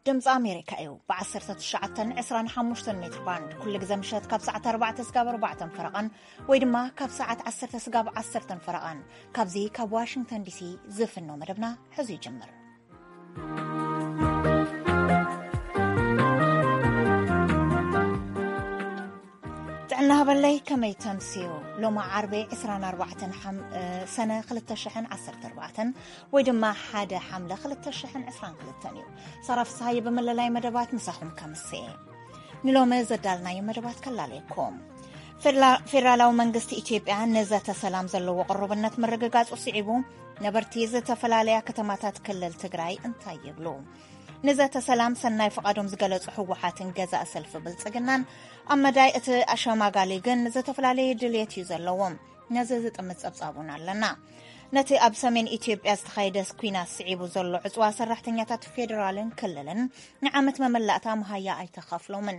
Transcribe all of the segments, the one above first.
ድምፂ ኣሜሪካ እዩ። ብ19፣ 25 ሜትር ባንድ ኩሉ ግዜ ምሸት ካብ ሰዓት ኣርባዕተ ስጋብ ኣርባዕተን ፈረቓን ወይ ድማ ካብ ሰዓት ዓሰርተ ስጋብ ዓሰርተን ፈረቓን ካብዚ ካብ ዋሽንግተን ዲሲ ዝፍኖ መደብና ሕዚ ይጅምር። ጥዕና ሃበለይ፣ ከመይ ተምስዩ? ሎማ ዓርቢ ዕስራን ኣርባዕተን ሓም-፣ እ፣ ሰነ ክልተ ሽሕን ዓሰርተ ኣርባዕተን ወይ ድማ ሓደ ሓምለ ክልተ ሽሕን ዕስራን ክልተን እዩ። ሳራ ፍስሃየ ብምልላይ መደባት ምሳኹም ከምስየ። ንሎሚ ዘዳልናዮ መደባት ከላለየኩም። ፌደላ-፣ ፌደራላዊ መንግስቲ ኢትዮጵያ ንዘተ ሰላም ዘለዎ ቅሩብነት ምርግጋጹ ስዒቡ፣ ነበርቲ ዝተፈላለያ ከተማታት ክልል ትግራይ እንታይ ይብሉ? ንዘተ ሰላም ሰናይ ፍቓዶም ዝገለጹ ህወሓትን ገዛእ ሰልፊ ብልጽግናን ኣብ መዳይ እቲ ኣሸማጋሊ ግን ዝተፈላለየ ድልየት እዩ ዘለዎም። ነዚ ዝጥምት ጸብጻብ እውን ኣለና። ነቲ ኣብ ሰሜን ኢትዮጵያ ዝተኻየደ ኲናት ስዒቡ ዘሎ ዕጽዋ ሰራሕተኛታት ፌደራልን ክልልን ንዓመት መመላእታ መሃያ ኣይተኸፍሎምን።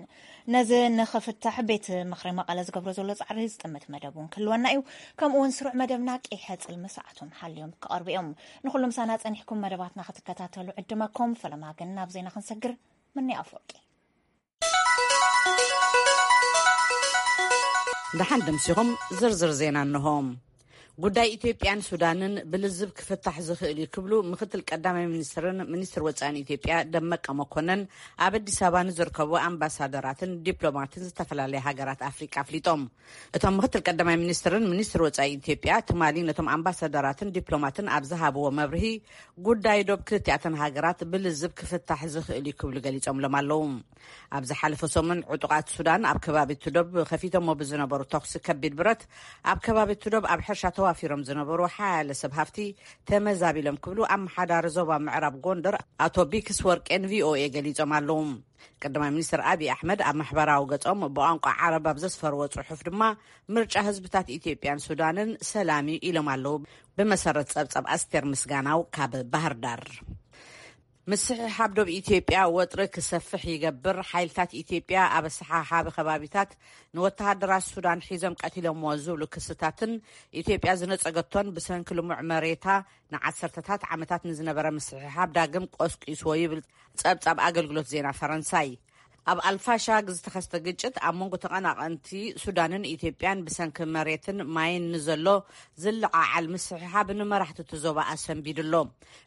ነዚ ንኽፍታሕ ቤት ምኽሪ መቐለ ዝገብሮ ዘሎ ጻዕሪ ዝጥምት መደብ እውን ክህልወና እዩ። ከምኡ እውን ስሩዕ መደብና ቀይሐ ጽልሚ ሰዓቶም ሓልዮም ክቐርቡ እዮም። ንኹሉ ምሳና ጸኒሕኩም መደባትና ክትከታተሉ ዕድመኩም። ፈለማ ግን ናብ ዜና ክንሰግር። ምኒ ኣፈወርቂ። ደሓን ደምሲኹም ዝርዝር ዜና እንሆ። ጉዳይ ኢትዮጵያን ሱዳንን ብልዝብ ክፍታሕ ዝኽእል እዩ ክብሉ ምክትል ቀዳማይ ሚኒስትርን ሚኒስትር ወጻኢን ኢትዮጵያ ደመቀ መኮነን ኣብ ኣዲስ ኣበባ ንዝርከቡ ኣምባሳደራትን ዲፕሎማትን ዝተፈላለያ ሃገራት ኣፍሪቃ ኣፍሊጦም። እቶም ምክትል ቀዳማይ ሚኒስትርን ሚኒስትር ወጻኢ ኢትዮጵያ ትማሊ ነቶም ኣምባሳደራትን ዲፕሎማትን ኣብ ዝሃብዎ መብርሂ፣ ጉዳይ ዶብ ክልቲኣተን ሃገራት ብልዝብ ክፍታሕ ዝኽእል እዩ ክብሉ ገሊጾምሎም ኣለዉ። ኣብ ዝሓለፈ ሰሙን ዕጡቓት ሱዳን ኣብ ከባቢ ቱዶብ ከፊቶሞ ብዝነበሩ ተኹሲ ከቢድ ብረት፣ ኣብ ከባቢ ቱዶብ ኣብ ሕርሻ ተዋፊሮም ዝነበሩ ሓያለ ሰብ ሃፍቲ ተመዛቢሎም ክብሉ ኣመሓዳሪ ዞባ ምዕራብ ጎንደር ኣቶ ቢክስ ወርቄን ቪኦኤ ገሊጾም ኣለዉ። ቀዳማይ ሚኒስትር ኣብይ ኣሕመድ ኣብ ማሕበራዊ ገጾም ብቋንቋ ዓረብ ኣብ ዘስፈርዎ ጽሑፍ ድማ፣ ምርጫ ህዝብታት ኢትዮጵያን ሱዳንን ሰላም እዩ ኢሎም ኣለዉ። ብመሰረት ጸብጻብ ኣስቴር ምስጋናው ካብ ባህር ዳር። ምስሕሓብ ዶብ ኢትዮጵያ ወጥሪ ክሰፍሕ ይገብር፣ ሓይልታት ኢትዮጵያ ኣብ ኣሰሓሓቢ ከባቢታት ንወተሃደራት ሱዳን ሒዞም ቀቲሎምዎ ዝብሉ ክስታትን ኢትዮጵያ ዝነጸገቶን ብሰንኪ ልሙዕ መሬታ ንዓሰርተታት ዓመታት ንዝነበረ ምስሕሓብ ዳግም ቆስቂስዎ ይብል ጸብጻብ ኣገልግሎት ዜና ፈረንሳይ። ኣብ ኣልፋሻግ ዝተኸስተ ግጭት ኣብ መንጎ ተቐናቐንቲ ሱዳንን ኢትዮጵያን ብሰንኪ መሬትን ማይን ንዘሎ ዝለዓዓል ምስሕሓብ ንመራሕቲ እቲ ዞባ ኣሰንቢዱ ኣሎ።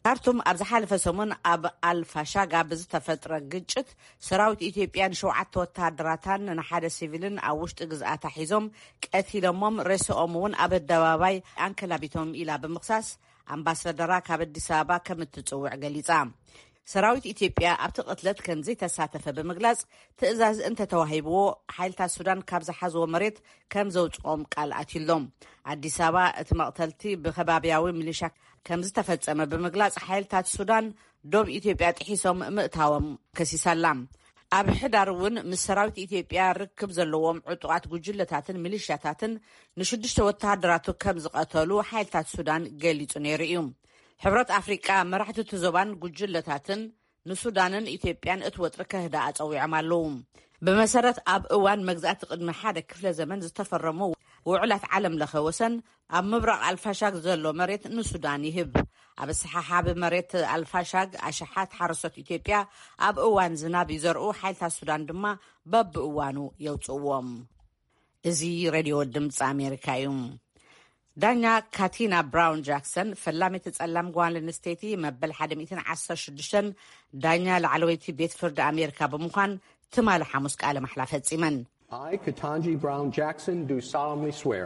ካርቱም ኣብ ዝሓለፈ ሰሙን ኣብ ኣልፋሻጋ ብዝተፈጥረ ግጭት ሰራዊት ኢትዮጵያ ንሸውዓተ ወተሃደራታን ንሓደ ሲቪልን ኣብ ውሽጢ ግዝኣታ ሒዞም ቀቲሎሞም፣ ሬስኦም እውን ኣብ ኣደባባይ ኣንከላቢቶም ኢላ ብምኽሳስ ኣምባሳደራ ካብ ኣዲስ ኣበባ ከም እትጽውዕ ገሊጻ። ሰራዊት ኢትዮጵያ ኣብቲ ቅትለት ከም ዘይተሳተፈ ብምግላጽ፣ ትእዛዝ እንተተዋሂብዎ ሓይልታት ሱዳን ካብ ዝሓዝዎ መሬት ከም ዘውጽኦም ቃል ኣትዩሎም። ኣዲስ ኣበባ እቲ መቕተልቲ ብከባብያዊ ሚሊሻ ከም ዝተፈጸመ ብምግላጽ፣ ሓይልታት ሱዳን ዶብ ኢትዮጵያ ጥሒሶም ምእታዎም ከሲሳላ። ኣብ ሕዳር እውን ምስ ሰራዊት ኢትዮጵያ ርክብ ዘለዎም ዕጡቓት ጉጅለታትን ሚሊሻታትን ንሽዱሽተ ወተሃደራቱ ከም ዝቐተሉ ሓይልታት ሱዳን ገሊጹ ነይሩ እዩ። ሕብረት ኣፍሪቃ፣ መራሕቲ እቲ ዞባን ጉጅለታትን ንሱዳንን ኢትዮጵያን እቲ ወጥሪ ከህድኣ ጸዊዖም ኣለዉ። ብመሰረት ኣብ እዋን መግዛእቲ ቅድሚ ሓደ ክፍለ ዘመን ዝተፈረሙ ውዕላት ዓለም ለኸ ወሰን፣ ኣብ ምብራቕ ኣልፋሻግ ዘሎ መሬት ንሱዳን ይህብ። ኣብ ኣሰሓሓቢ መሬት ኣልፋሻግ ኣሽሓት ሓረስቶት ኢትዮጵያ ኣብ እዋን ዝናብ ይዘርኡ፣ ሓይልታት ሱዳን ድማ በብእዋኑ የውጽእዎም። እዚ ሬድዮ ድምፂ ኣሜሪካ እዩ። ዳኛ ካቲና ብራውን ጃክሰን፣ ፈላሚት ጸላም ጓል ኣንስተይቲ መበል ሓደ ሚእትን ዓሰርተ ሽዱሽተን ዳኛ ላዕለወይቲ ቤት ፍርዲ ኣሜሪካ ብምዃን ትማሊ ሓሙስ ቃለ ማሕላ ፈጺመን። I, Ketanji Brown Jackson, do solemnly swear.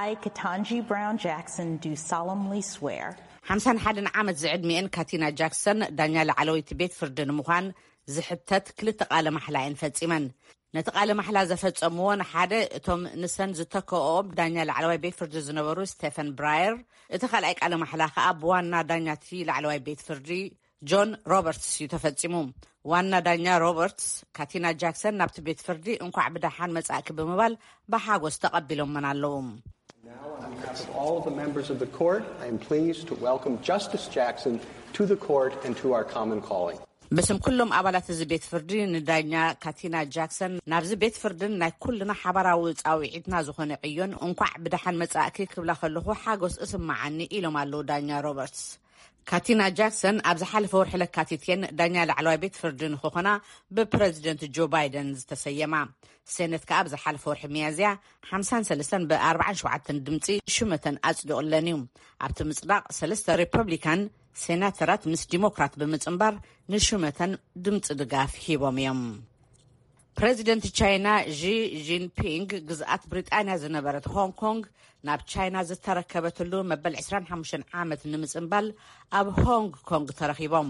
I, Ketanji Brown Jackson, do solemnly swear. ሓምሳን ሓደን ዓመት ዝዕድሚኤን ካቲና ጃክሰን ዳኛ ላዕለወይቲ ቤት ፍርዲ ንምዃን ዝሕተት ክልተ ቃለ ማሕላ እየን ፈጺመን። ነቲ ቃለ ማሕላ ዘፈጸምዎ ንሓደ እቶም ንሰን ዝተከኦም ዳኛ ላዕለዋይ ቤት ፍርዲ ዝነበሩ ስቴፈን ብራየር፣ እቲ ካልኣይ ቃለ ማሕላ ከኣ ብዋና ዳኛ እቲ ላዕለዋይ ቤት ፍርዲ ጆን ሮበርትስ እዩ ተፈጺሙ። ዋና ዳኛ ሮበርትስ፣ ካቲና ጃክሰን ናብቲ ቤት ፍርዲ እንኳዕ ብደሓን መጻእኪ ብምባል ብሓጎስ ተቐቢሎመን ኣለዉ። Now, on behalf of all the members of the court, I am pleased to welcome Justice Jackson to the court and to our common calling. ብስም ኩሎም ኣባላት እዚ ቤት ፍርዲ ንዳኛ ካቲና ጃክሰን ናብዚ ቤት ፍርድን ናይ ኩልና ሓባራዊ ጻውዒትና ዝኾነ ዕዮን እንኳዕ ብደሓን መጻእኪ ክብላ ከለኹ ሓጎስ እስመዓኒ ኢሎም ኣለዉ ዳኛ ሮበርትስ። ካቲና ጃክሰን ኣብ ዝሓለፈ ወርሒ ለካቲት እየን ዳኛ ላዕለዋይ ቤት ፍርዲ ንክኾና ብፕረዚደንት ጆ ባይደን ዝተሰየማ። ሴነት ከኣ ኣብ ዝሓለፈ ወርሒ ሚያዝያ ሓምሳን ሰለስተን ብ ኣርባዓን ሸውዓተን ድምፂ ሹመተን ኣጽዲቑለን እዩ። ኣብቲ ምጽዳቕ ሰለስተ ሪፐብሊካን ሴናተራት ምስ ዲሞክራት ብምጽንባር ንሹመተን ድምፂ ድጋፍ ሂቦም እዮም። ፕረዚደንት ቻይና ዢ ጂንፒንግ ግዝኣት ብሪጣንያ ዝነበረት ሆንግ ኮንግ ናብ ቻይና ዝተረከበትሉ መበል ዕስራን ሓሙሽተን ዓመት ንምጽንባል ኣብ ሆንግ ኮንግ ተረኺቦም።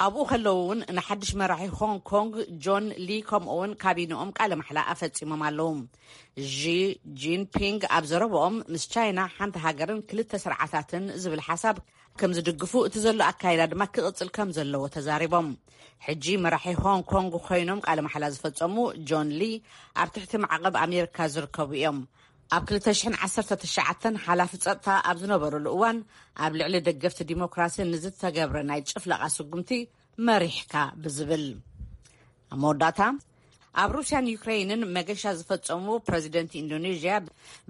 ኣብኡ ከለዉ እውን ንሓድሽ መራሒ ሆንግ ኮንግ ጆን ሊ ከምኡ እውን ካቢንኦም ቃለ ማሕላ ኣፈጺሞም ኣለዉ። ዢ ጂንፒንግ ኣብ ዘረብኦም ምስ ቻይና ሓንቲ ሃገርን ክልተ ስርዓታትን ዝብል ሓሳብ ከም ዝድግፉ፣ እቲ ዘሎ ኣካይዳ ድማ ክቕጽል ከም ዘለዎ ተዛሪቦም። ሕጂ መራሒ ሆንግ ኮንግ ኮይኖም ቃለ ማሕላ ዝፈጸሙ ጆን ሊ ኣብ ትሕቲ ማዕቐብ ኣሜሪካ ዝርከቡ እዮም። ኣብ ክልተ ሽሕን ዓሰርተ ትሽዓተን ሓላፊ ጸጥታ ኣብ ዝነበሩሉ እዋን ኣብ ልዕሊ ደገፍቲ ዲሞክራሲ ንዝተገብረ ናይ ጭፍለቓ ስጉምቲ መሪሕካ ብዝብል። ኣብ መወዳእታ ኣብ ሩስያን ዩክሬይንን መገሻ ዝፈጸሙ ፕረዚደንት ኢንዶኔዥያ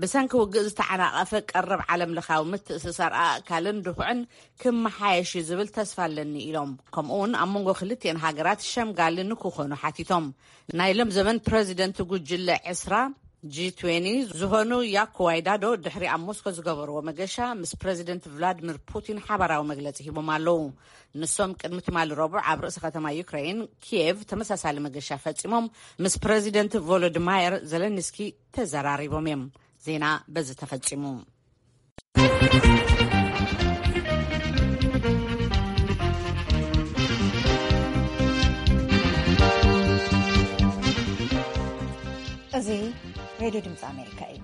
ብሰንኪ ውግእ ዝተዓናቐፈ ቀረብ ዓለም ለኻዊ ምትእስሳር ኣእካልን ድኹዕን ክመሓየሽ እዩ ዝብል ተስፋ ኣለኒ ኢሎም። ከምኡ እውን ኣብ መንጎ ክልቲኤን ሃገራት ሸምጋሊ ንክኾኑ ሓቲቶም። ናይ ሎም ዘመን ፕረዚደንት ጉጅለ ዕስራ ጂ ትዌንቲ ዝኾኑ ያኮ ዋይዳዶ ድሕሪ ኣብ ሞስኮ ዝገበርዎ መገሻ ምስ ፕረዚደንት ቭላድሚር ፑቲን ሓባራዊ መግለጺ ሂቦም ኣለዉ። ንሶም ቅድሚ ትማሊ ረቡዕ ኣብ ርእሲ ከተማ ዩክሬይን ኪየቭ ተመሳሳሊ መገሻ ፈጺሞም ምስ ፕረዚደንት ቮሎዲማየር ዘለንስኪ ተዘራሪቦም እዮም። ዜና በዚ ተፈጺሙ። እዚ ሬድዮ ድምፂ ኣሜሪካ እዩ።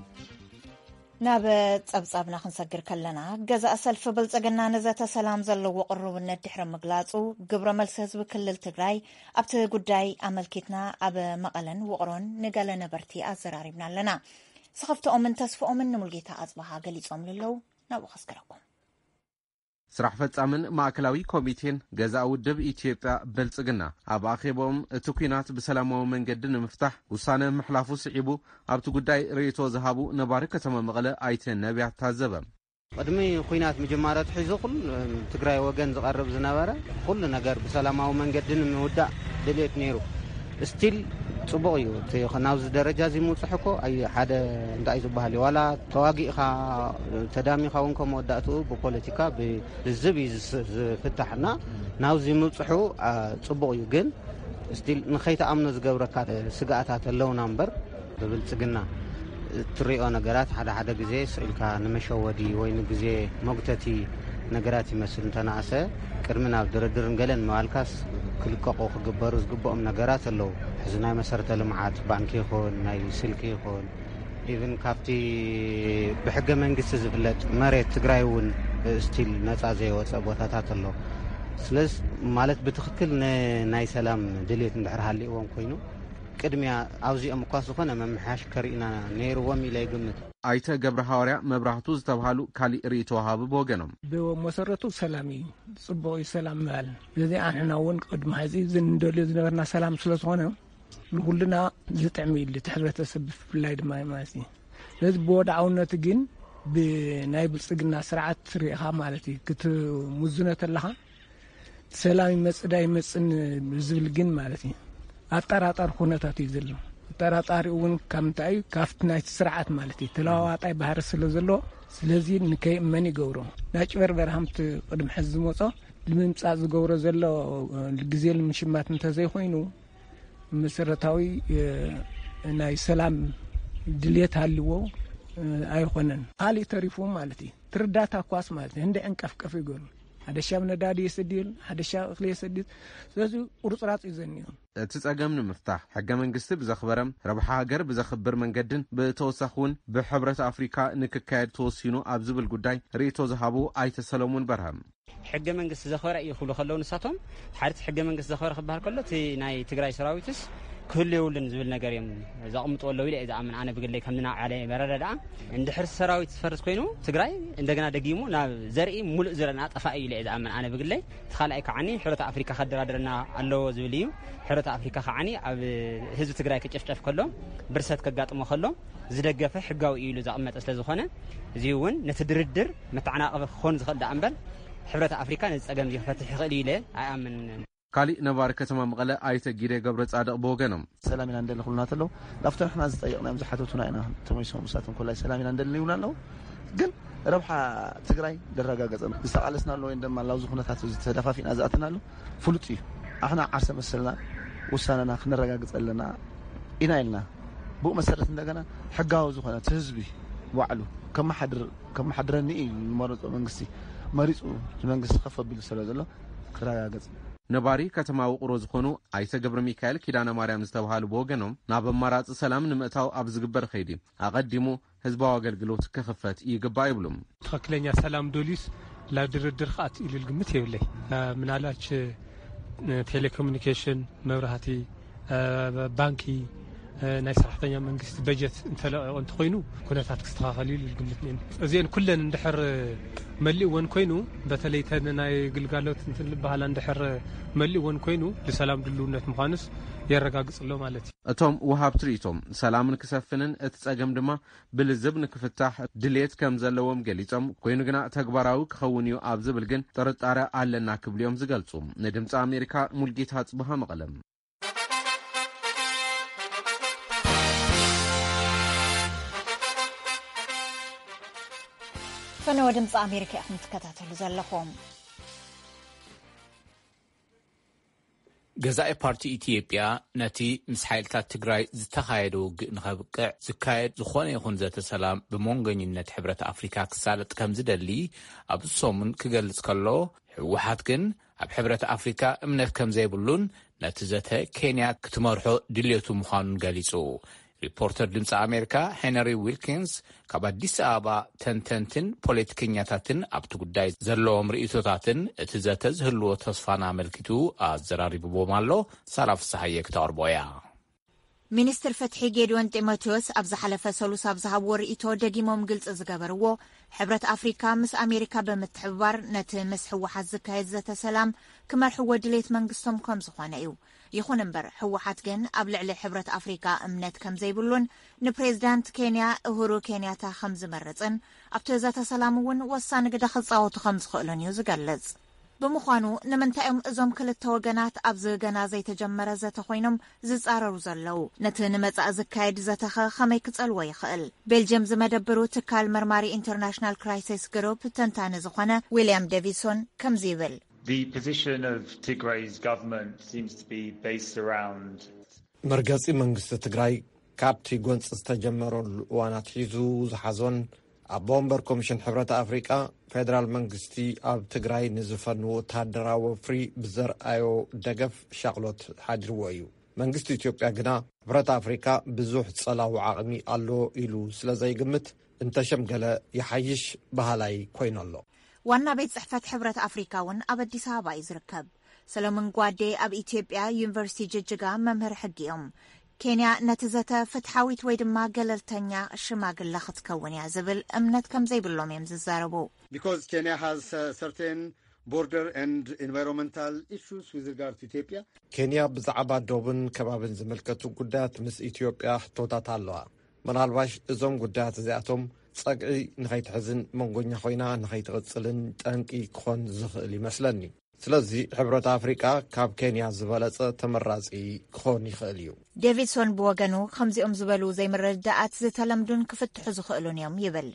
ናብ ጸብጻብና ክንሰግር ከለና፣ ገዛእ ሰልፊ ብልጽግና ንዘተ ሰላም ዘለዎ ቅሩብነት ድሕሪ ምግላጹ፣ ግብረ መልሲ ህዝቢ ክልል ትግራይ ኣብቲ ጉዳይ ኣመልኪትና ኣብ መቐለን ውቕሮን ንገለ ነበርቲ ኣዘራሪብና ኣለና። ስኽፍትኦምን ተስፍኦምን ንሙልጌታ ኣጽብሃ ገሊጾም ኣለዉ። ናብኡ ከስግረኩም። ስራሕ ፈጻምን ማእከላዊ ኮሚቴን ገዛእ ውድብ ኢትዮጵያ ብልጽግና ኣብ ኣኼቦም፣ እቲ ኲናት ብሰላማዊ መንገዲ ንምፍታሕ ውሳነ ምሕላፉ ስዒቡ፣ ኣብቲ ጉዳይ ርእይቶ ዝሃቡ ነባሪ ከተማ መቐለ ኣይተ ነቢያት ታዘበ። ቅድሚ ኲናት ምጅማር ኣትሒዙ ኩሉ ትግራይ ወገን ዝቐርብ ዝነበረ ኩሉ ነገር ብሰላማዊ መንገዲ ንምውዳእ ድልየት ነይሩ። ስቲል ጽቡቕ እዩ። እቲ ናብዚ ደረጃ እዚ ምውጽሕ እኮ ኣይ ሓደ እንታይ እዩ ዝበሃል እዩ። ዋላ ተዋጊእኻ ተዳሚኻ እውን ከም መወዳእትኡ ብፖለቲካ ብልዝብ እዩ ዝስ- ዝፍታሕ እና ናብዚ ምብፅሑ አ፣ ፅቡቕ እዩ። ግን ስቲል ንኸይትኣምኖ ዝገብረካ ስግኣታት ኣለውና እምበር ብብልፅግና እትሪኦ ነገራት ሓደ ሓደ ግዜ ስኢልካ ንመሸወዲ ወይ ንግዜ መጉተቲ ነገራት ይመስል እንተነኣሰ ቅድሚ ናብ ድርድርን ገለን ምባልካስ ክልቀቑ ክግበሩ ዝግብኦም ነገራት ኣለዉ። ሕዚ ናይ መሰረተ ልምዓት ባንኪ ይኹን ናይ ስልኪ ይኹን ኢቭን ካብቲ ብሕገ መንግስቲ ዝፍለጥ መሬት ትግራይ እውን ስቲል ነፃ ዘይወፀ ቦታታት ኣሎ። ስለዚ ማለት ብትኽክል ናይ ሰላም ድሌት እንድሕር ሃልዎም ኮይኑ ቅድሚያ ኣብዚኦም እኳ ዝኾነ መምሓሽ ከርእና ነይርዎም ኢለ ይግምት። ኣይተ ገብረ ሃዋርያ መብራህቱ ዝተብሃሉ ካሊእ ርእይቶ ወሃቢ ብወገኖም። ብመሰረቱ ሰላም እዩ፣ ፅቡቕ እዩ ሰላም ምባል። ስለዚ ኣንሕና እውን ቅድሚ ሕዚ እዚ እንደልዮ ዝነበርና ሰላም ስለዝኾነ ንኩልና ዝጥዕም እዩ እቲ ሕብረተሰብ ብፍላይ ድማ ማለት እዩ። ስለዚ ብወድዓውነቱ ግን ብናይ ብልፅግና ስርዓት ርኢኻ ማለት እዩ ክትምዝኖ ተለኻ ሰላም ይመፅእ ዳ ይመፅን ዝብል ግን ማለት እዩ ኣጠራጣሪ ኩነታት እዩ ዘሎ። ኣጠራጣሪ እውን ካብ ምንታይ ካብቲ ናይቲ ስርዓት ማለት እዩ ተለዋዋጣይ ባህሪ ስለ ዘሎ ስለዚ ንከይእመን ይገብሮ። ናይ ጭበርበር ሃምቲ ቅድሚ ሕዚ ዝመፆ ንምምፃእ ዝገብሮ ዘሎ ግዜ ንምሽማት እንተዘይኮይኑ መሰረታዊ ናይ ሰላም ድልየት ሃልዎ ኣይኾነን። ካሊእ ተሪፉ ማለት እዩ ትርዳታ ኳስ ማለት እዩ ህንደ ዕንቀፍቀፍ ይገሩ ሓደ ሻብ ነዳዲ የሰድል ሓደ ሻብ እኽሊ የሰድል። ስለዚ ቁርፅራፅ እዩ ዘኒዩ። እቲ ጸገም ንምፍታሕ ሕገ መንግስቲ ብዘኽበረም ረብሓ ሃገር ብዘኽብር መንገድን ብተወሳኺ እውን ብሕብረት ኣፍሪካ ንክካየድ ተወሲኑ ኣብ ዝብል ጉዳይ ርእይቶ ዝሃቡ ኣይተ ሰለሙን በርሀም ሕገ መንግስቲ ዘኽበረ እዩ ክብሉ ከለዉ ንሳቶም ሓድቲ ሕገ መንግስቲ ዘኽበረ ክበሃል ከሎ እቲ ናይ ትግራይ ሰራዊትስ ክህሉ የብሉን ዝብል ነገር እዮም ዘቕምጡ ኣለዉ ኢለ እየ ዝኣምን። ኣነ ብግለይ ከም ንናብ ዓለ መረዳድኣ እንድሕር ሰራዊት ዝፈርስ ኮይኑ ትግራይ እንደገና ደጊሙ ናብ ዘርኢ ሙሉእ ዝረና ጠፋኢ እዩ ኢለ እየ ዝኣምን። ኣነ ብግለይ እቲ ካልኣይ ከዓኒ ሕብረት ኣፍሪካ ከደራድረና ኣለዎ ዝብል እዩ። ሕብረት ኣፍሪካ ከዓኒ ኣብ ህዝቢ ትግራይ ክጭፍጨፍ ከሎ ብርሰት ከጋጥሞ ከሎ ዝደገፈ ሕጋዊ እዩ ኢሉ ዘቐመጠ ስለ ዝኾነ እዚ እውን ነቲ ድርድር መተዓናቐፊ ክኾን ዝኽእል ደኣ እምበር ሕብረት ኣፍሪካ ነዚ ፀገም እዚ ክፈትሕ ይኽእል እዩ ኢለ ኣይኣምንን። ካሊእ ነባሪ ከተማ መቐለ ኣይተ ጊደ ገብረ ጻድቕ ብወገኖም፣ ሰላም ኢና እንደሊ ክብሉና ተለዉ፣ ናብቶም ንሕና ዝጠየቕናዮም ዝሓተቱና ኢና ተመሊሶም። ንሳቶም ኮላይ ሰላም ኢና እንደሊ ይብሉና ኣለዉ። ግን ረብሓ ትግራይ ደረጋገጸ ዝተቓለስና ኣሎ ወይ ድማ ላብዚ ኩነታት እዚ ተደፋፊና ዝኣተና ኣሎ ፍሉጥ እዩ። ኣሕና ዓርሰ መሰልና ውሳነና ክነረጋግጸ ኣለና ኢና ኢልና፣ ብኡ መሰረት እንደገና ሕጋዊ ዝኾነ እቲ ህዝቢ ባዕሉ ከመሓድር ከመሓድረኒ እዩ ዝመረፆ መንግስቲ መሪፁ፣ እቲ መንግስቲ ከፍ ኣቢሉ ስለ ዘሎ ክረጋገፅ። ነባሪ ከተማ ውቕሮ ዝኾኑ ኣይተ ገብረ ሚካኤል ኪዳነ ማርያም ዝተባሃሉ ብወገኖም፣ ናብ ኣማራፂ ሰላም ንምእታው ኣብ ዝግበር ከይዲ ኣቐዲሙ ህዝባዊ ኣገልግሎት ክኽፈት ይግባእ ይብሉ። ትኽክለኛ ሰላም ዶልዩስ ላብ ድርድር ክኣት ኢሉ ግምት የብለይ። ምናልባች ቴሌኮሙኒኬሽን፣ መብራህቲ፣ ባንኪ፣ ናይ ሰራሕተኛ መንግስቲ በጀት እንተለቂቑ እንተኮይኑ ኩነታት ክስተኻኸል እዩ ልግምት ነ እዚአን ኩለን እንድሕር መሊእወን ኮይኑ፣ በተለይ ተን ናይ ግልጋሎት እንትን ዝበሃላ እንድሕር መሊእወን ኮይኑ፣ ንሰላም ድልውነት ምዃኑስ የረጋግጽ ኣሎ ማለት እዩ። እቶም ወሃብ ትርኢቶም፣ ሰላምን ክሰፍንን እቲ ጸገም ድማ ብልዝብ ንክፍታሕ ድሌት ከም ዘለዎም ገሊጾም፣ ኮይኑ ግና ተግባራዊ ክኸውን እዩ ኣብ ዝብል ግን ጥርጣረ ኣለና ክብሉ እዮም ዝገልጹ። ንድምፂ ኣሜሪካ፣ ሙልጌታ ጽብሃ፣ መቐለም። ፈነወ ድምፂ ኣሜሪካ ኢኹም ትከታተሉ ዘለኹም። ገዛኢ ፓርቲ ኢትዮጵያ ነቲ ምስ ሓይልታት ትግራይ ዝተኻየደ ውግእ ንኸብቅዕ ዝካየድ ዝኾነ ይኹን ዘተ ሰላም ብመንጎኝነት ሕብረት ኣፍሪካ ክሳለጥ ከም ዝደሊ ኣብዚ ሰሙን ክገልጽ ከሎ፣ ህወሓት ግን ኣብ ሕብረት ኣፍሪካ እምነት ከም ዘይብሉን ነቲ ዘተ ኬንያ ክትመርሖ ድልየቱ ምዃኑን ገሊጹ። ሪፖርተር ድምፂ ኣሜሪካ ሄነሪ ዊልኪንስ ካብ ኣዲስ ኣበባ ተንተንትን ፖለቲከኛታትን ኣብቲ ጉዳይ ዘለዎም ርእይቶታትን እቲ ዘተ ዝህልዎ ተስፋን ኣመልኪቱ ኣዘራሪብዎም ኣሎ። ሳራ ፍስሓየ ክተቕርቦ እያ። ሚኒስትር ፍትሒ ጌድዮን ጢሞቴዎስ ኣብ ዝሓለፈ ሰሉስ ኣብ ዝሃብዎ ርእይቶ ደጊሞም ግልፂ ዝገበርዎ፣ ሕብረት ኣፍሪካ ምስ ኣሜሪካ ብምትሕብባር ነቲ ምስ ህወሓት ዝካየድ ዘተ ሰላም ክመርሕዎ ድሌት መንግስቶም ከም ዝኾነ እዩ። ይኹን እምበር ህወሓት ግን ኣብ ልዕሊ ሕብረት ኣፍሪካ እምነት ከም ዘይብሉን ንፕሬዝዳንት ኬንያ እሁሩ ኬንያታ ከም ዝመርፅን ኣብቲ ዘተ ሰላም እውን ወሳኒ ግደ ክፃወቱ ከም ዝኽእሉን እዩ ዝገልፅ። ብምዃኑ ንምንታይ እዮም እዞም ክልተ ወገናት ኣብዚ ገና ዘይተጀመረ ዘተ ኮይኖም ዝፃረሩ ዘለዉ? ነቲ ንመፃኢ ዝካየድ ዘተኸ ከመይ ክፀልዎ ይኽእል? ቤልጅየም ዝመደብሩ ትካል መርማሪ ኢንተርናሽናል ክራይሲስ ግሩፕ ተንታኒ ዝኾነ ዊልያም ዴቪድሶን ከምዚ ይብል። The position of Tigray's government seems to be based around መርገጺ መንግስቲ ትግራይ ካብቲ ጎንፂ ዝተጀመረሉ እዋን ኣትሒዙ ዝሓዞን ኣቦ ወንበር ኮሚሽን ሕብረት ኣፍሪቃ ፌደራል መንግስቲ ኣብ ትግራይ ንዝፈኑ ወታደራዊ ወፍሪ ብዘርኣዮ ደገፍ ሻቕሎት ሓዲርዎ እዩ። መንግስቲ ኢትዮጵያ ግና ሕብረት ኣፍሪቃ ብዙሕ ጸላዊ ዓቕሚ ኣሎ ኢሉ ስለ ዘይግምት እንተሸምገለ ይሓይሽ በሃላይ ኮይኑ ኣሎ። ዋና ቤት ጽሕፈት ሕብረት ኣፍሪካ እውን ኣብ ኣዲስ ኣበባ እዩ ዝርከብ። ሰለሙን ጓዴ ኣብ ኢትዮጵያ ዩኒቨርሲቲ ጅጅጋ መምህር ሕጊ እዮም። ኬንያ ነቲ ዘተ ፍትሓዊት ወይ ድማ ገለልተኛ ሽማግለ ክትከውን እያ ዝብል እምነት ከም ዘይብሎም እዮም ዝዛረቡ። Because Kenya has certain border and environmental issues with regard to Ethiopia. ኬንያ ብዛዕባ ዶብን ከባብን ዝምልከቱ ጉዳያት ምስ ኢትዮጵያ ሕቶታት ኣለዋ። ምናልባሽ እዞም ጉዳያት እዚኣቶም ጸግዒ ንኸይትሕዝን መንጎኛ ኮይና ንኸይትቕጽልን ጠንቂ ክኾን ዝኽእል ይመስለኒ። ስለዚ ሕብረት ኣፍሪቃ ካብ ኬንያ ዝበለጸ ተመራጺ ክኾን ይኽእል እዩ። ዴቪድሶን ብወገኑ ከምዚኦም ዝበሉ ዘይምርድዳኣት ዝተለምዱን ክፍትሑ ዝኽእሉን እዮም ይብል።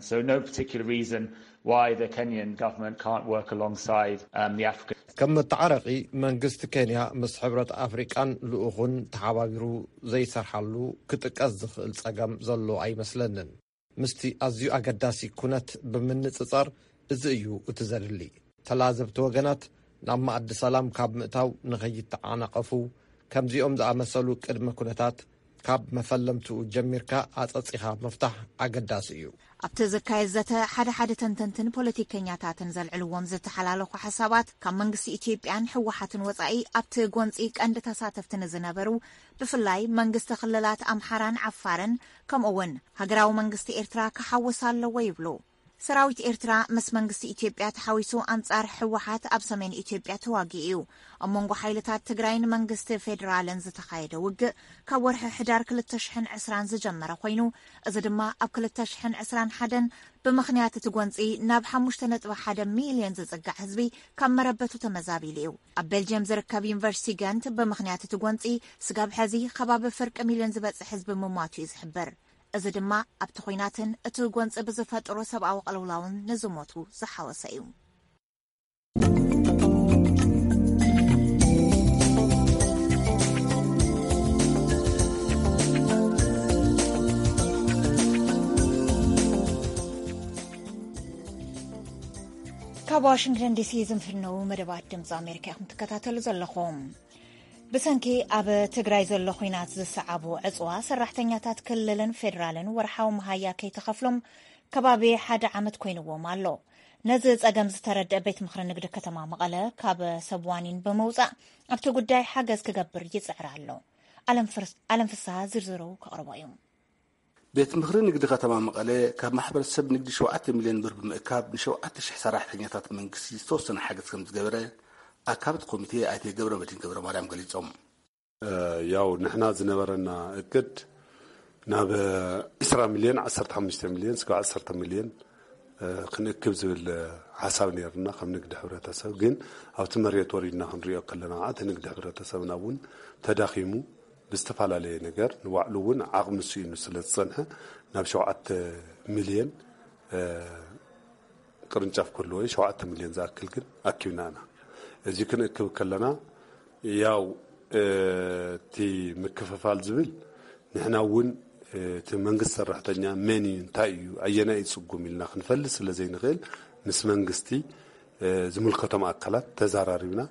So no particular reason why the Kenyan government can't work alongside um, the African ከም መተዓረቒ መንግስቲ ኬንያ ምስ ሕብረት ኣፍሪቃን ልኡኹን ተሓባቢሩ ዘይሰርሓሉ ክጥቀስ ዝኽእል ጸገም ዘሎ ኣይመስለንን። ምስቲ ኣዝዩ ኣገዳሲ ኩነት ብምንጽጻር እዚ እዩ እቲ ዘድሊ። ተላዘብቲ ወገናት ናብ መኣዲ ሰላም ካብ ምእታው ንኸይተዓናቐፉ ከምዚኦም ዝኣመሰሉ ቅድመ ኩነታት ካብ መፈለምትኡ ጀሚርካ ኣጸጺኻ ምፍታሕ ኣገዳሲ እዩ። ኣብቲ ዝካየድ ዘተ ሓደ ሓደ ተንተንትን ፖለቲከኛታትን ዘልዕልዎም ዝተሓላለኹ ሓሳባት ካብ መንግስቲ ኢትዮጵያን ህወሓትን ወፃኢ ኣብቲ ጎንፂ ቀንዲ ተሳተፍቲ ንዝነበሩ ብፍላይ መንግስቲ ክልላት ኣምሓራን ዓፋርን ከምኡ እውን ሃገራዊ መንግስቲ ኤርትራ ክሓውስ ኣለዎ ይብሉ። ሰራዊት ኤርትራ ምስ መንግስቲ ኢትዮጵያ ተሓዊሱ ኣንጻር ህወሓት ኣብ ሰሜን ኢትዮጵያ ተዋጊኡ እዩ። ኣብ መንጎ ሓይልታት ትግራይን መንግስቲ ፌዴራልን ዝተኻየደ ውግእ ካብ ወርሒ ሕዳር ክልተ ሽሕን ዕስራን ዝጀመረ ኮይኑ፣ እዚ ድማ ኣብ ክልተ ሽሕን ዕስራን ሓደን ብምኽንያት እቲ ጎንጺ ናብ ሓሙሽተ ነጥቢ ሓደ ሚልዮን ዝጽጋዕ ህዝቢ ካብ መረበቱ ተመዛቢሉ እዩ። ኣብ ቤልጅየም ዝርከብ ዩኒቨርሲቲ ገንት ብምኽንያት እቲ ጎንጺ ስጋብ ሕዚ ከባቢ ፍርቂ ሚልዮን ዝበጽሕ ህዝቢ ምሟቱ እዩ ዝሕብር። እዚ ድማ ኣብቲ ኹናትን እቲ ጎንፂ ብዝፈጥሮ ሰብኣዊ ቅልውላውን ንዝሞቱ ዝሓወሰ እዩ። ካብ ዋሽንግተን ዲሲ ዝንፍነው መደባት ድምፂ ኣሜሪካ ኢኹም ትከታተሉ ዘለኹም። ብሰንኪ ኣብ ትግራይ ዘሎ ኹናት ዝሰዓቡ ዕፅዋ ሰራሕተኛታት ክልልን ፌዴራልን ወርሓዊ መሃያ ከይተኸፍሎም ከባቢ ሓደ ዓመት ኮይንዎም ኣሎ። ነዚ ፀገም ዝተረድአ ቤት ምኽሪ ንግዲ ከተማ መቐለ ካብ ሰብ ዋኒን ብምውፃእ ኣብቲ ጉዳይ ሓገዝ ክገብር ይፅዕር ኣሎ። ኣለም ፍርስ-፣ ኣለም ፍስሃ ዝርዝሩ ከቕርቦ እዩ። ቤት ምኽሪ ንግዲ ከተማ መቐለ ካብ ማሕበረሰብ ንግዲ ሸውዓተ ሚልዮን ብር ብምእካብ ንሸውዓተ ሽሕ ሰራሕተኛታት መንግስቲ ዝተወሰነ ሓገዝ ከም ዝገበረ ኣካብት ኮሚቴ ኣይተ ገብረ መድህን ገብረ ማርያም ገሊጾም። ያው ንሕና ዝነበረና እቅድ ናብ ዒስራ ሚልዮን፣ ዓሰርተ ሓሙሽተ ሚልዮን እስካብ ዓሰርተ ሚልዮን ክንእክብ ዝብል ሓሳብ ነይርና ከም ንግዲ ሕብረተሰብ። ግን ኣብቲ መሬት ወሪድና ክንሪኦ ከለና ከዓ እቲ ንግዲ ሕብረተሰብና እውን ተዳኺሙ ብዝተፈላለየ ነገር ንባዕሉ እውን ዓቕሚ ስኢኑ ስለ ዝጸንሐ ናብ ሸውዓተ ሚልዮን ቅርንጫፍ ክህልዎ እዩ። ሸውዓተ ሚልዮን ዝኣክል ግን ኣኪብና ኢና። እዚ ክንእክብ ከለና ያው እቲ ምክፍፋል ዝብል ንሕና እውን እቲ መንግስቲ ሰራሕተኛ መን እዩ፣ እንታይ እዩ፣ ኣየናይ እዩ ፅጉም ኢልና ክንፈልጥ ስለ ዘይንኽእል ምስ መንግስቲ ዝምልከቶም ኣካላት ተዘራሪብና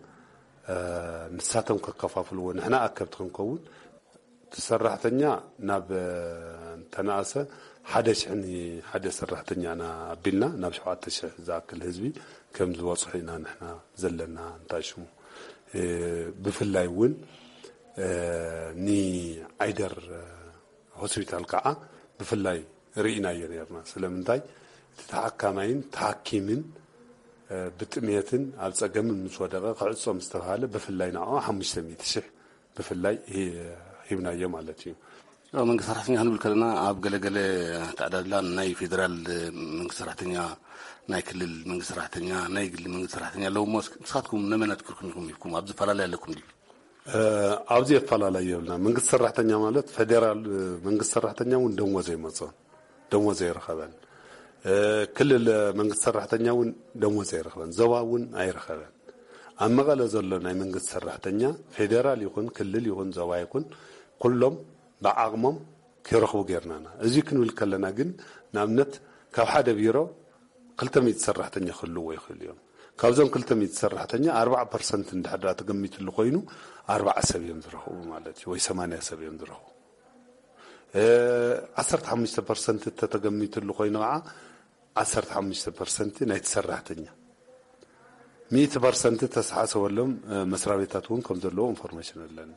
ንሳቶም ከከፋፍልዎ፣ ንሕና ኣከብቲ ክንከውን። እቲ ሰራሕተኛ ናብ እንተነኣሰ ሓደ ሽሕ ንሓደ ሰራሕተኛ ኢና ኣቢልና ናብ ሸውዓተ ሽሕ ዝኣክል ህዝቢ ከም ዝበፅሑ ኢና ንሕና ዘለና እንታይ ሽሙ። ብፍላይ እውን ንዓይደር ሆስፒታል ከዓ ብፍላይ ርኢናዮ ነርና። ስለምንታይ እቲ ተሓካማይን ተሓኪምን ብጥሜትን ኣብ ፀገምን ምስ ወደቐ ክዕፆ ምስ ተባሃለ ብፍላይ ንዕኡ ሓሙሽተ ሚእቲ ሽሕ ብፍላይ ሂብናዮ ማለት እዩ። መንግስቲ ሰራሕተኛ ክንብል ከለና ኣብ ገለገለ ተዕዳድላ ናይ ፌደራል መንግስቲ ሰራሕተኛ፣ ናይ ክልል መንግስቲ ሰራሕተኛ፣ ናይ ግሊ መንግስቲ ሰራሕተኛ ኣለዉ እሞ ንስኻትኩም ነመን ኣትኩርኩም ኢኹም ሂብኩም ኣብዚ ፈላለይ ኣለኩም ድዩ? ኣብዚ ኣፈላላይ የብልና። መንግስቲ ሰራሕተኛ ማለት ፌደራል መንግስቲ ሰራሕተኛ እውን ደሞዝ ኣይመፅኦን፣ ደሞዝ ኣይረኸበን። ክልል መንግስቲ ሰራሕተኛ እውን ደሞዝ ኣይረኸበን፣ ዞባ እውን ኣይረኸበን። ኣብ መቐለ ዘሎ ናይ መንግስቲ ሰራሕተኛ ፌደራል ይኹን ክልል ይኹን ዞባ ይኹን ኩሎም ብዓቕሞም ክረኽቡ ጌርናና። እዚ ክንብል ከለና ግን ንኣብነት ካብ ሓደ ቢሮ ክልተ ሚእቲ ሰራሕተኛ ክህልዎ ይኽእሉ እዮም። ካብዞም ክልተ ሚእቲ ሰራሕተኛ ኣርባዓ ፐርሰንት እንድሕር ደኣ ተገሚትሉ ኮይኑ ኣርባዓ ሰብ እዮም ዝረኽቡ ማለት እዩ፣ ወይ ሰማንያ ሰብ እዮም ዝረኽቡ። ዓሰርተ ሓሙሽተ ፐርሰንት እንተተገሚትሉ ኮይኑ ከዓ ዓሰርተ ሓሙሽተ ፐርሰንት ናይቲ ሰራሕተኛ፣ ሚእቲ ፐርሰንት ተስሓሰበሎም መስሪያ ቤታት እውን ከም ዘለዎ ኢንፎርሜሽን ኣለኒ።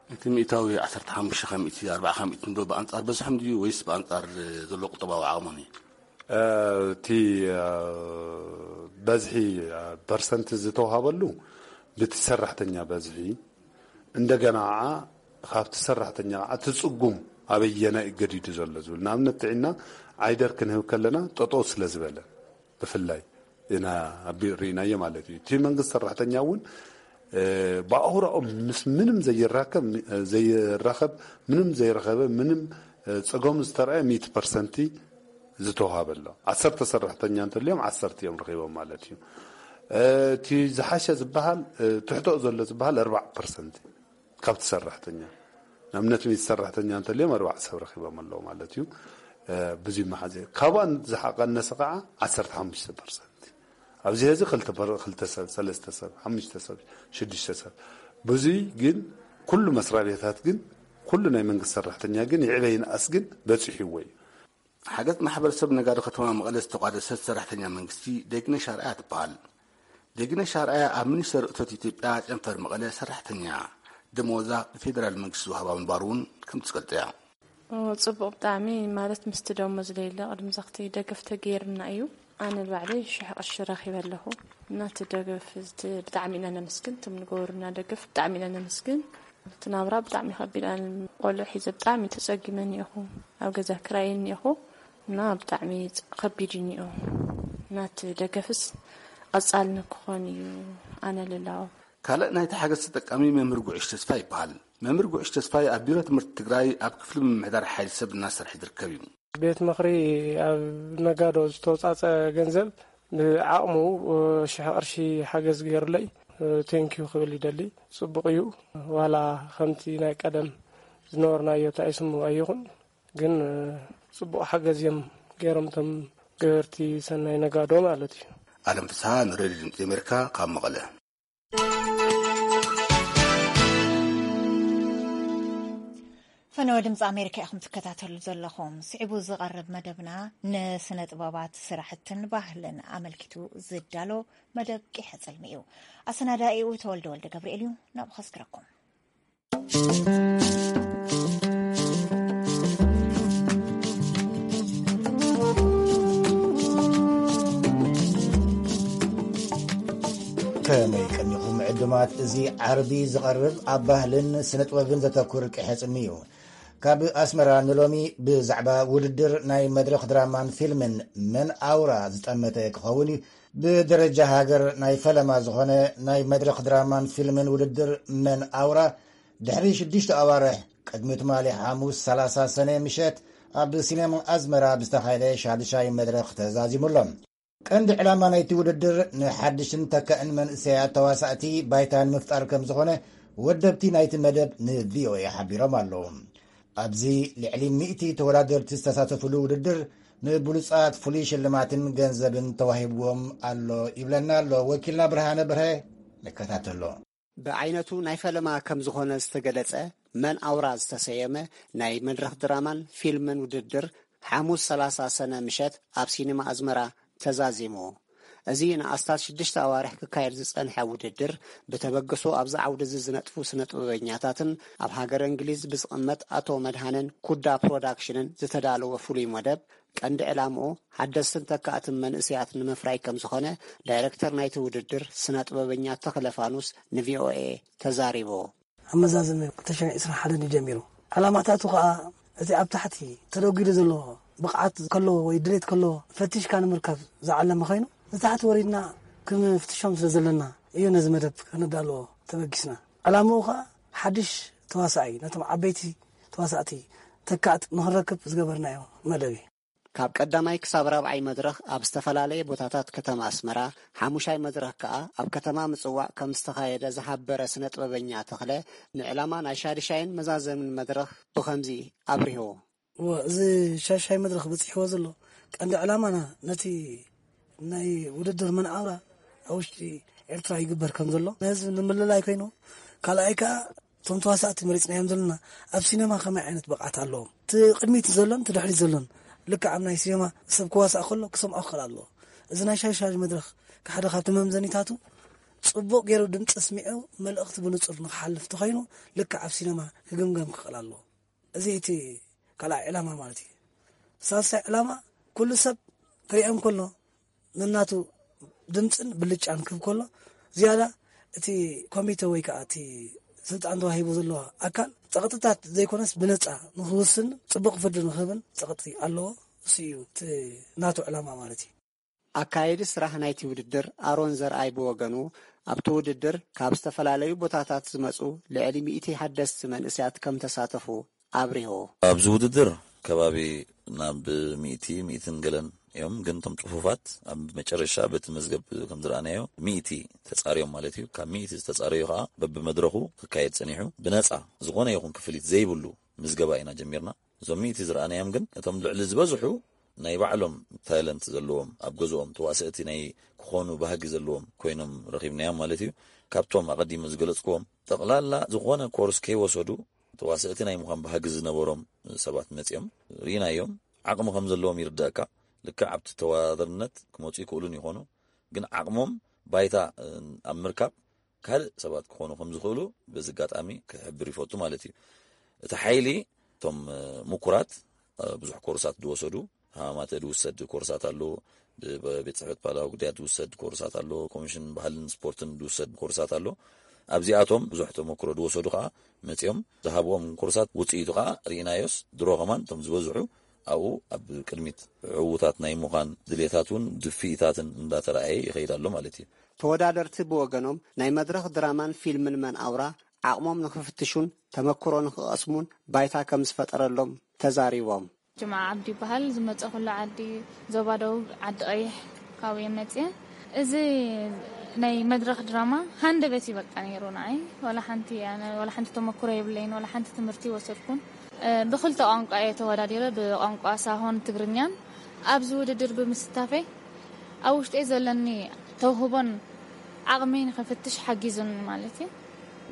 እቲ ሚእታዊ ዓሰርተ ሓሙሽተ ካብ ሚእቲ ኣርባዓ ካብ ሚእቲ ንዶ ብኣንጻር በዝሖም ድዩ ወይስ ብኣንጻር ዘሎ ቁጠባዊ ዓቕሞም እዩ? እቲ በዝሒ ፐርሰንት ዝተዋሃበሉ ብቲ ሰራሕተኛ በዝሒ እንደገና ከዓ ካብቲ ሰራሕተኛ ከዓ እቲ ፅጉም ኣበየናይ እዩ ገዲዱ ዘሎ ዝብል ንኣብነት ጥዒና ዓይደር ክንህብ ከለና ጠጠው ስለ ዝበለ ብፍላይ ኢና ኣቢ ርኢናዮ ማለት እዩ። እቲ መንግስቲ ሰራሕተኛ እውን ብኣውራኦም ምስ ምንም ዘይራከብ ዘይራኸብ ምንም ዘይረኸበ ምንም ፀገሙ ዝተረኣየ ሚእቲ ፐርሰንቲ ዝተዋሃበ ኣሎ። ዓሰርተ ሰራሕተኛ እንተልዮም ዓሰርተ እዮም ረኺቦም ማለት እዩ። እቲ ዝሓሸ ዝበሃል ትሕቶ ዘሎ ዝበሃል ኣርባዓ ፐርሰንቲ ካብቲ ሰራሕተኛ ንኣብነት ሚእቲ ሰራሕተኛ እንተልዮም ኣርባዓ ሰብ ረኺቦም ኣለዉ ማለት እዩ። ብዙ መሓዘ ካብኣን ዝሓቀነሰ ከዓ ዓሰርተ ሓሙሽተ ፐርሰንቲ ኣብዚ ሕዚ ክልተ ሰብ ሰለስተ ሰብ ሓሙሽተ ሰብ ሽዱሽተ ሰብ ብዙይ ግን ኩሉ መስሪያ ቤታት ግን ኩሉ ናይ መንግስቲ ሰራሕተኛ ግን ይዕበ ይንኣስ ግን በፂሕዎ እዩ። ሓገዝ ማሕበረሰብ ነጋዶ ከተማ መቐለ ዝተቋደሰት ሰራሕተኛ መንግስቲ ደግነሽ ኣርኣያ ትበሃል። ደግነሽ ኣርኣያ ኣብ ሚኒስቴር እቶት ኢትዮጵያ ጨንፈር መቐለ ሰራሕተኛ ደመወዛ ብፌደራል መንግስቲ ዝወሃባ ምንባሩ እውን ከም ትገልጽ እያ። ጽቡቕ ብጣዕሚ፣ ማለት ምስቲ ደሞዝ ለይለ ቅድሚ ዘኽቲ ደገፍ ተገይርና እዩ። ኣነ ንባዕለይ ሽሕ ቅርሺ ረኺበ ኣለኹ። እናቲ ደገፍ ብጣዕሚ ኢና ነመስግን፣ እቶም ንገበሩና ደገፍ ብጣዕሚ ኢና ነመስግን። እቲ ናብራ ብጣዕሚ ከቢድ፣ ኣነ ቆልዑ ሒዘ ብጣዕሚ ተጸጊመ እኒኦኹ፣ ኣብ ገዛ ክራይ እኒኦኹ እና ብጣዕሚ ከቢድ እዩ እኒኦ። እናቲ ደገፍስ ቀጻሊ ንክኾን እዩ ኣነ ልላዎ። ካልእ ናይቲ ሓገዝ ተጠቃሚ መምህር ጉዕሽ ተስፋ ይበሃል። መምህር ጉዕሽ ተስፋይ ኣብ ቢሮ ትምህርቲ ትግራይ ኣብ ክፍሊ ምምሕዳር ሓይሊ ሰብ እናሰርሐ ዝርከብ እዩ። ቤት ምኽሪ ኣብ ነጋዶ ዝተወፃፀ ገንዘብ ብዓቕሙ ሽሕ ቅርሺ ሓገዝ ገይሩለይ፣ ቴንኪዩ ክብል ይደሊ። ፅቡቕ እዩ። ዋላ ከምቲ ናይ ቀደም ዝነበርናዮ ተኣይስሙ ኣይኹን፣ ግን ፅቡቕ ሓገዝ እዮም ገይሮም እቶም ገበርቲ ሰናይ ነጋዶ ማለት እዩ። ኣለም ፍስሃ ንሬድዮ ድምፂ ኣሜሪካ ካብ መቐለ። ፈነወ ድምፂ ኣሜሪካ ኢኹም ትከታተሉ ዘለኹም። ስዒቡ ዝቐርብ መደብና ንስነ ጥበባት ስራሕትን ባህልን ኣመልኪቱ ዝዳሎ መደብ ቂሐ ጽልሚ እዩ። ኣሰናዳኢኡ ተወልደ ወልደ ገብርኤል እዩ። ናብኡ ከስግረኩም። ከመይ ቀኒኹም ዕዱማት? እዚ ዓርቢ ዝቐርብ ኣብ ባህልን ስነ ጥበብን ዘተኩር ቅሐጽሚ እዩ። ካብ ኣስመራ ንሎሚ ብዛዕባ ውድድር ናይ መድረኽ ድራማን ፊልምን መን ኣውራ ዝጠመተ ክኸውን እዩ። ብደረጃ ሃገር ናይ ፈለማ ዝኾነ ናይ መድረኽ ድራማን ፊልምን ውድድር መን ኣውራ ድሕሪ ሽዱሽተ ኣዋርሕ ቅድሚ ትማሊ ሓሙስ ሰላሳ ሰነ ምሸት ኣብ ሲኔማ ኣዝመራ ብዝተኻየደ ሻድሻይ መድረኽ ተዛዚሙ ኣሎ። ቀንዲ ዕላማ ናይቲ ውድድር ንሓድሽን ተካእን መንእሰያት ተዋሳእቲ ባይታ ንምፍጣር ከም ዝኾነ ወደብቲ ናይቲ መደብ ንቪኦኤ ሓቢሮም ኣለዉ። ኣብዚ ልዕሊ ሚእቲ ተወዳደርቲ ዝተሳተፍሉ ውድድር ንብሉጻት ፍሉይ ሽልማትን ገንዘብን ተዋሂብዎም ኣሎ ይብለና ኣሎ ወኪልና ብርሃነ ብርሀ። ንከታተሎ። ብዓይነቱ ናይ ፈለማ ከም ዝኾነ ዝተገለጸ መን ኣውራ ዝተሰየመ ናይ መድረኽ ድራማን ፊልምን ውድድር ሓሙስ ሰላሳ ሰነ ምሸት ኣብ ሲኔማ ኣዝመራ ተዛዚሙ። እዚ ንኣስታት ሽዱሽተ ኣዋርሕ ክካየድ ዝጸንሐ ውድድር ብተበግሶ ኣብዚ ዓውዲ እዚ ዝነጥፉ ስነ ጥበበኛታትን ኣብ ሃገር እንግሊዝ ብዝቕመጥ ኣቶ መድሃነን ኩዳ ፕሮዳክሽንን ዝተዳለወ ፍሉይ መደብ ቀንዲ ዕላምኡ ሓደስትን ተካእትን መንእሰያት ንምፍራይ ከም ዝኾነ ዳይረክተር ናይቲ ውድድር ስነ ጥበበኛ ተኽለ ፋኑስ ንቪኦኤ ተዛሪቡ። ኣመዛዝነ ክልተ ሽሕን ዕስራን ሓደን እዩ ጀሚሩ። ዕላማታቱ ኸኣ እቲ ኣብ ታሕቲ ተደጒሉ ዘሎ ብቕዓት ከለዎ ወይ ድሌት ከለዎ ፈቲሽካ ንምርካብ ዝዓለመ ኮይኑ ንታሕቲ ወሪድና ክንፍትሾም ስለ ዘለና እዩ ነዚ መደብ ከነዳልዎ ተበጊስና። ዕላምኡ ኸኣ ሓድሽ ተዋሳኣይ ነቶም ዓበይቲ ተዋሳእቲ ተካእት ንኽንረክብ ዝገበርናዮ መደብ እዩ። ካብ ቀዳማይ ክሳብ ራብዓይ መድረኽ ኣብ ዝተፈላለየ ቦታታት ከተማ ኣስመራ፣ ሓሙሻይ መድረኽ ከኣ ኣብ ከተማ ምጽዋዕ ከም ዝተኻየደ ዝሓበረ ስነ ጥበበኛ ተኽለ፣ ንዕላማ ናይ ሻድሻይን መዛዘምን መድረኽ ብኸምዚ ኣብሪሁ። እወ፣ እዚ ሻድሻይ መድረኽ በጺሕዎ ዘሎ ቀንዲ ዕላማና ነቲ ናይ ውድድር መን ኣውራ ኣብ ውሽጢ ኤርትራ ይግበር ከም ዘሎ ንህዝቢ ንምልላይ ኮይኑ፣ ካልኣይ ከኣ እቶም ተዋሳእቲ መሪጽናዮም ዘለና ኣብ ሲነማ ከመይ ዓይነት ብቕዓት ኣለዎም? እቲ ቅድሚት ዘሎን እቲ ድሕሪት ዘሎን ልክዕ ኣብ ናይ ሲነማ ሰብ ክዋሳእ ከሎ ክሰምዖ ክኽእል ኣለዎ። እዚ ናይ ሻሻ መድረኽ ሓደ ካብቲ መምዘኒታቱ ጽቡቕ ገይሩ ድምጺ ኣስሚዑ መልእኽቲ ብንጹር ንኽሓልፍ እንተኾይኑ ልክዕ ኣብ ሲነማ ክግምገም ክኽእል ኣለዎ። እዚ እቲ ካልኣይ ዕላማ ማለት እዩ። ሳልሳይ ዕላማ ኩሉ ሰብ ክሪኦም ከሎ ነናቱ ድምፅን ብልጫን ክህብ ከሎ ዝያዳ እቲ ኮሚቴ ወይ ከዓ እቲ ስልጣን ተዋሂቡ ዘለዎ ኣካል ፀቕጥታት ዘይኮነስ ብነፃ ንክውስን ፅቡቕ ፍርዲ ንክህብን ፀቕጢ ኣለዎ። እሱ እዩ እቲ ናቱ ዕላማ ማለት እዩ። ኣካየዲ ስራሕ ናይቲ ውድድር ኣሮን ዘርኣይ ብወገኑ ኣብቲ ውድድር ካብ ዝተፈላለዩ ቦታታት ዝመፁ ልዕሊ ሚእቲ ሓደስቲ መንእሰያት ከም ተሳተፉ ኣብሪሁ። ኣብዚ ውድድር ከባቢ ናብ ሚእቲ፣ ሚእትን ገለን እዮም፣ ግን እቶም ፅፉፋት ኣብ መጨረሻ በቲ መዝገብ ከም ዝረኣናዮ ሚእቲ ተፃርዮም ማለት እዩ። ካብ ሚእቲ ዝተፃረዩ ከዓ በብመድረኹ ክካየድ ፀኒሑ ብነፃ ዝኾነ ይኹን ክፍሊት ዘይብሉ ምዝገባ ኢና ጀሚርና። እዞም ሚእቲ ዝረኣናዮም ግን እቶም ልዕሊ ዝበዝሑ ናይ ባዕሎም ታለንት ዘለዎም ኣብ ገዝኦም ተዋሰእቲ ናይ ክኾኑ ባህጊ ዘለዎም ኮይኖም ረኺብናዮም ማለት እዩ። ካብቶም ኣቐዲመ ዝገለፅክዎም ጠቕላላ ዝኾነ ኮርስ ከይወሰዱ ተዋሰእቲ ናይ ምዃን ባህጊ ዝነበሮም ሰባት መፂኦም ርኢናዮም። ዓቕሚ ከም ዘለዎም ይርዳእካ። ልክዕ ኣብቲ ተወዳደርነት ክመፁ ይክእሉን ይኾኑ፣ ግን ዓቕሞም ባይታ ኣብ ምርካብ ካልእ ሰባት ክኾኑ ከም ዝኽእሉ በዚ ኣጋጣሚ ክሕብር ይፈቱ ማለት እዩ። እቲ ሓይሊ እቶም ምኩራት ብዙሕ ኮርሳት ዝወሰዱ፣ ሃማማተ ዝውሰድ ኮርሳት ኣሎ፣ ብቤት ጽሕፈት ባህላዊ ጉዳያት ዝውሰድ ኮርሳት ኣሎ፣ ኮሚሽን ባህልን ስፖርትን ዝውሰድ ኮርሳት ኣሎ። ኣብዚኣቶም ብዙሕ ተመክሮ ዝወሰዱ ከዓ መጺኦም ዝሃብዎም ኮርሳት ውፅኢቱ ከዓ ርኢናዮስ፣ ድሮ ከማን እቶም ዝበዝሑ ኣብኡ ኣብ ቅድሚት ዕዉታት ናይ ምዃን ድሌታት እውን ድፍኢታትን እንዳተረኣየ ይኸይድ ኣሎ ማለት እዩ። ተወዳደርቲ ብወገኖም ናይ መድረኽ ድራማን ፊልምን መን ኣውራ ዓቕሞም ንኽፍትሹን ተመክሮ ንኽቐስሙን ባይታ ከም ዝፈጠረሎም ተዛሪቦም። ጅምዓ ዓብዲ ይበሃል። ዝመፀኹሉ ዓዲ ዞባ ደቡብ ዓዲ ቀይሕ ካብኡ እየ መፅየ። እዚ ናይ መድረኽ ድራማ ሃንደበት እዩ በቃ ነይሩ ንዓይ። ዋላ ሓንቲ ኣነ ዋላ ሓንቲ ተመክሮ የብለይን፣ ዋላ ሓንቲ ትምህርቲ ወሰድኩን። ብክልተ ቋንቋ እየ ተወዳዲረ፣ ብቋንቋ ሳሆን ትግርኛን። ኣብዚ ውድድር ብምስታፈይ ኣብ ውሽጠይ ዘለኒ ተውህቦን ዓቕመይ ንኽፍትሽ ሓጊዙኒ ማለት እዩ።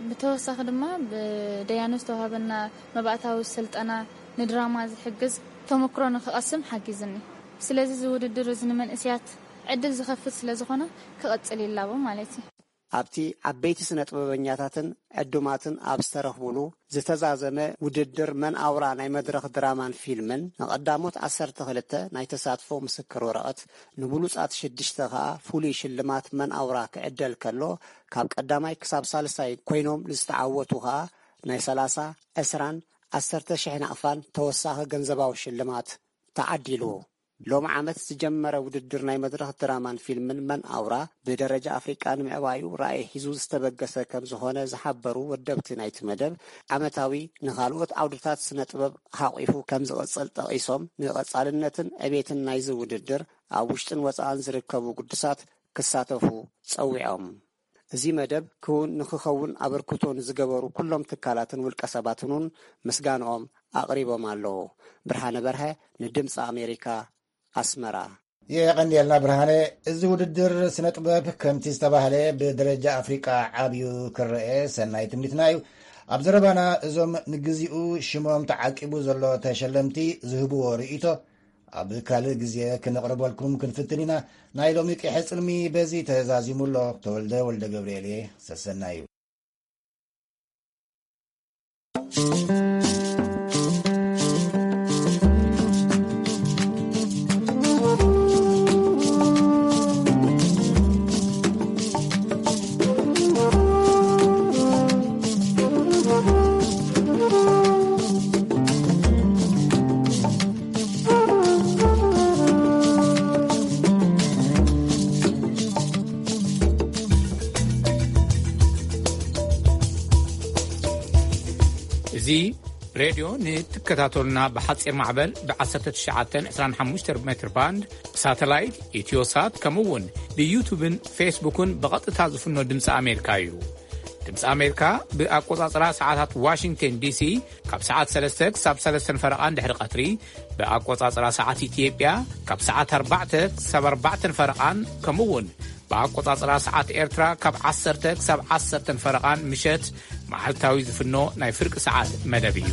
ብተወሳኺ ድማ ብደያኑ ዝተዋህበና መባእታዊ ስልጠና ንድራማ ዝሕግዝ ተመክሮ ንኽቐስም ሓጊዝኒ። ስለዚ እዚ ውድድር እዚ ንመንእስያት ዕድል ዝኸፍት ስለ ዝኾነ ክቐጽል ይላቦ ማለት እዩ። ኣብቲ ዓበይቲ ስነ ጥበበኛታትን ዕዱማትን ኣብ ዝተረኽቡሉ ዝተዛዘመ ውድድር መን ኣውራ ናይ መድረኽ ድራማን ፊልምን ንቐዳሞት ዓሰርተ ክልተ ናይ ተሳትፎ ምስክር ወረቐት፣ ንብሉጻት ሽዱሽተ ከኣ ፍሉይ ሽልማት መን ኣውራ ክዕደል ከሎ፣ ካብ ቀዳማይ ክሳብ ሳልሳይ ኮይኖም ንዝተዓወቱ ከኣ ናይ ሰላሳ፣ ዕስራን ዓሰርተ ሽሕ ናቕፋን ተወሳኺ ገንዘባዊ ሽልማት ተዓዲሉ። ሎም ዓመት ዝጀመረ ውድድር ናይ መድረኽ ድራማን ፊልምን መን ኣውራ ብደረጃ ኣፍሪቃ ንምዕባዩ ራእይ ሒዙ ዝተበገሰ ከም ዝኾነ ዝሓበሩ ወደብቲ ናይቲ መደብ፣ ዓመታዊ ንኻልኦት ዓውድታት ስነ ጥበብ ሓቒፉ ከም ዝቕጽል ጠቒሶም፣ ንቐጻልነትን ዕቤትን ናይዚ ውድድር ኣብ ውሽጥን ወጻእን ዝርከቡ ግዱሳት ክሳተፉ ጸዊዖም። እዚ መደብ ክውን ንኽኸውን ኣበርክቶ ንዝገበሩ ኩሎም ትካላትን ውልቀ ሰባትን እውን ምስጋንኦም ኣቕሪቦም ኣለዉ። ብርሃነ በርሀ ንድምፂ ኣሜሪካ፣ ኣስመራ። የቐንየልና ብርሃነ። እዚ ውድድር ስነ ጥበብ ከምቲ ዝተባህለ ብደረጃ ኣፍሪቃ ዓብዩ ክረአ ሰናይ ትምኒትና እዩ። ኣብ ዘረባና እዞም ንግዚኡ ሽሞም ተዓቂቡ ዘሎ ተሸለምቲ ዝህብዎ ርእይቶ ኣብ ካልእ ግዜ ክንቕርበልኩም ክንፍትን ኢና። ናይ ሎሚ ቂሐ ጽልሚ በዚ ተዛዚሙ ኣሎ። ተወልደ ወልደ ገብርኤል እየ። ሰሰናዩ። እዚ ሬድዮ ንትከታተሉና ብሓጺር ማዕበል ብ1925 ሜትር ባንድ፣ ብሳተላይት፣ ኢትዮሳት፣ ከምኡ እውን ብዩቱብን ፌስቡክን ብቐጥታ ዝፍኖ ድምፂ ኣሜሪካ እዩ። ድምፂ ኣሜሪካ ብኣቆጻጽራ ሰዓታት ዋሽንግተን ዲሲ ካብ ሰዓት ሰለስተ ክሳብ ሰለስተን ፈረቓን ድሕሪ ቀትሪ፣ ብኣቆጻጽራ ሰዓት ኢትዮጵያ ካብ ሰዓት ኣርባዕተ ክሳብ ኣርባዕተን ፈረቓን፣ ከምኡ እውን ብኣቆጻጽራ ሰዓት ኤርትራ ካብ ዓሰርተ ክሳብ ዓሰርተን ፈረቓን ምሸት መዓልታዊ ዝፍኖ ናይ ፍርቂ ሰዓት መደብ እዩ።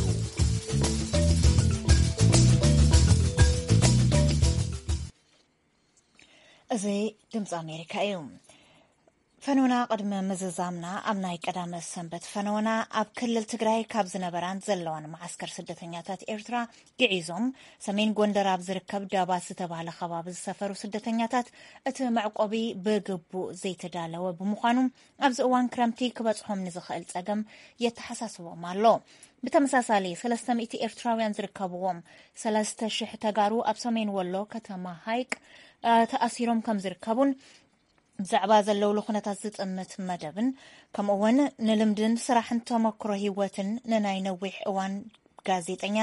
እዚ ድምፂ ኣሜሪካ እዩ። ፈነውና ቅድሚ ምዝዛምና ኣብ ናይ ቀዳመ ሰንበት ፈነውና ኣብ ክልል ትግራይ ካብ ዝነበራን ዘለዋን መዓስከር ስደተኛታት ኤርትራ ግዒዞም ሰሜን ጎንደር ኣብ ዝርከብ ዳባት ዝተባህለ ከባቢ ዝሰፈሩ ስደተኛታት እቲ መዕቆቢ ብግቡእ ዘይተዳለወ ብምዃኑ ኣብዚ እዋን ክረምቲ ክበጽሖም ንዝኽእል ጸገም የተሓሳስቦም ኣሎ። ብተመሳሳሊ ሰለስተ ሚእቲ ኤርትራውያን ዝርከብዎም ሰለስተ ሽሕ ተጋሩ ኣብ ሰሜን ወሎ ከተማ ሃይቅ ተኣሲሮም ከም ዝርከቡን ብዛዕባ ዘለውሉ ኩነታት ዝጥምት መደብን ከምኡ እውን ንልምድን ስራሕን ተመክሮ ህይወትን ንናይ ነዊሕ እዋን ጋዜጠኛ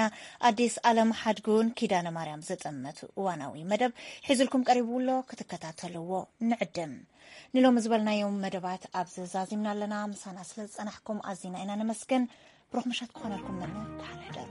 ኣዲስ ኣለም ሓድጉን ኪዳነ ማርያም ዝጥምት እዋናዊ መደብ ሒዝልኩም ቀሪቡ ኣሎ። ክትከታተልዎ ንዕድም። ንሎሚ ዝበልናዮም መደባት ኣብዚ ዛዚምና ኣለና። ምሳና ስለ ዝጸናሕኩም ኣዚና ኢና ነመስግን። ብሩኽ ምሸት ክኾነልኩም መነ። ደሓን ሕደሩ።